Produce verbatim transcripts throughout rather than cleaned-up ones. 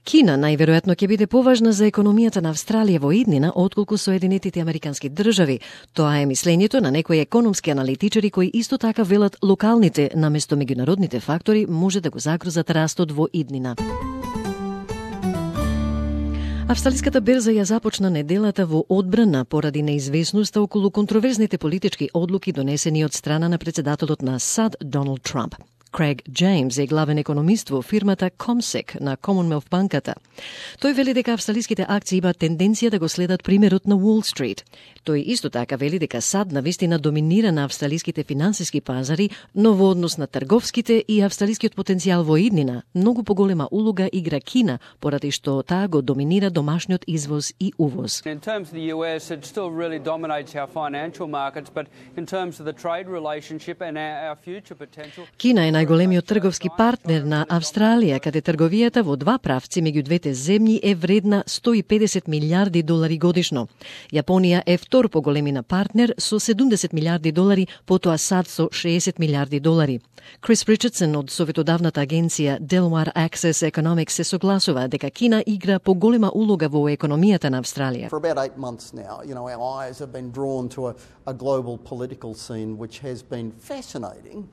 Кина најверојатно ќе биде поважна за економијата на Австралија во иднина отколку Соединетите Американски држави. Тоа е мислењето на некои економски аналитичари кои исто така велат локалните наместо меѓународните фактори може да го загрозат растот во иднина. Австралиската берза ја започна неделата во одбрана поради неизвестноста околу контроверзните политички одлуки донесени од страна на председателот на САД Доналд Трамп. Крейг Джеймс е главен економист во фирмата Comsec на Commonwealth банката. Тој вели дека австралиските акции имаат тенденција да го следат примерот на Wall Street. Тој исто така вели дека САД навистина доминира на австралиските финансиски пазари, но во однос на трговските и австралискиот потенцијал во иднина, многу поголема улога игра Кина, поради што таа го доминира домашниот извоз и увоз. In terms of the U S, it still really dominates our financial markets, but in terms of the trade relationship and our future potential. Кина е најголемиот трговски партнер на Австралија, каде трговијата во два правци меѓу двете земји е вредна сто и педесет милиарди долари годишно. Јапонија е втор по големина партнер со седумдесет милиарди долари, потоа САД со шеесет милиарди долари. Крис Ричардсон од советодавната агенција Delaware Access Economics се согласува дека Кина игра поголема улога во економијата на Австралија. For about eight months now, you know, our eyes have been drawn to a, a global political scene which has been fascinating,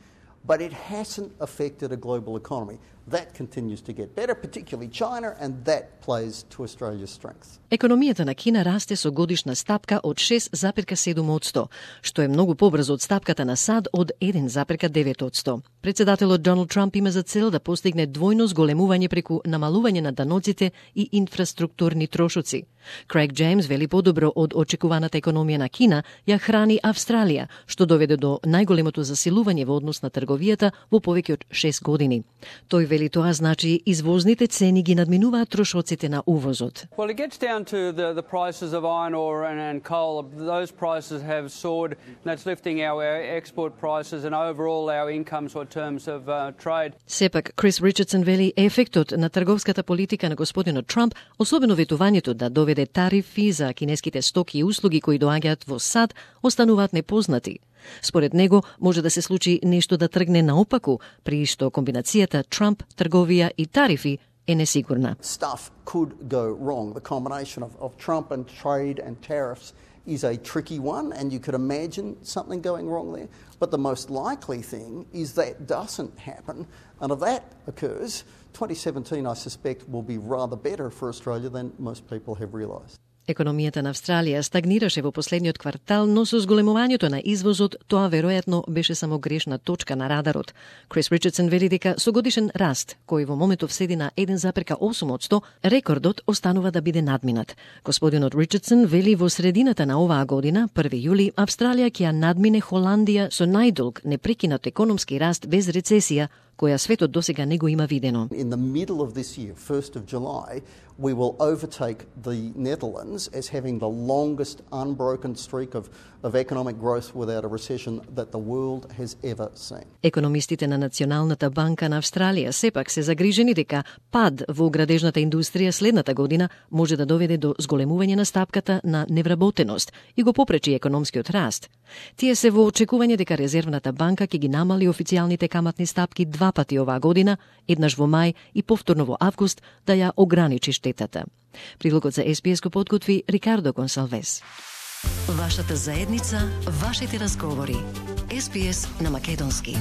but it hasn't affected a global economy. That continues to get better, particularly China, and that plays to Australia's strength. Економијата на Кина расте со годишна стапка од шест запирка седум одсто, што е многу побрзо од стапката на САД од еден запирка девет одсто. Председателот Доналд Трамп има за цел да постигне двојно зголемување преку намалување на даноците и инфраструктурни трошоци. Крейг Джеймс вели подобро од очекуваната економија на Кина ја храни Австралија, што доведе до најголемото засилување во однос на трговијата во повеќе од шест години. Тој вели тоа значи извозните цени ги надминуваат трошоците на увозот. Well, it gets down to the, the prices of iron ore and, and coal. Those prices have soared, and that's lifting our export prices and overall our incomes in terms of uh, trade. Сепак, Крис Ричардсон вели ефектот на трговската политика на господинот Трамп, особено ветувањето да доведе тарифи за кинеските стоки и услуги кои доаѓаат во САД, остануваат непознати. Според него, може да се случи нешто да тргне наопаку, при што комбинацијата Трамп, трговија и тарифи е несигурна. Stuff could go wrong. The combination of, of Trump and trade and tariffs is a tricky one, and you could imagine something going wrong there. But the most likely thing is that doesn't happen, and if that occurs, twenty seventeen, I suspect, will be rather better for Australia than most people have realised. Економијата на Австралија стагнираше во последниот квартал, но со зголемувањето на извозот, тоа веројатно беше само грешна точка на радарот. Крис Ричардсон вели дека со годишен раст, кој во моментов седи на еден запирка осум одсто, рекордот останува да биде надминат. Господинот Ричардсон вели во средината на оваа година, први јули, Австралија ќе ја надмине Холандија со најдолг непрекинат економски раст без рецесија, која светот досега не го има видено. In the middle of this year, first of July, we will overtake the Netherlands as having the longest unbroken streak of, of economic growth without a recession that the world has ever seen. Економистите на Националната банка на Австралија сепак се загрижени дека пад во градежната индустрија следната година може да доведе до зголемување на стапката на невработеност и го попречи економскиот раст. Тие се во очекување дека Резервната банка ќе ги намали официјалните каматни стапки два пати оваа година, еднаш во мај и повторно во август, да ја ограничи штетата. Прилогот за Ес Би Ес го подготви Рикардо Гонсалвес. Вашата заедница, вашите разговори. Ес Би Ес на македонски.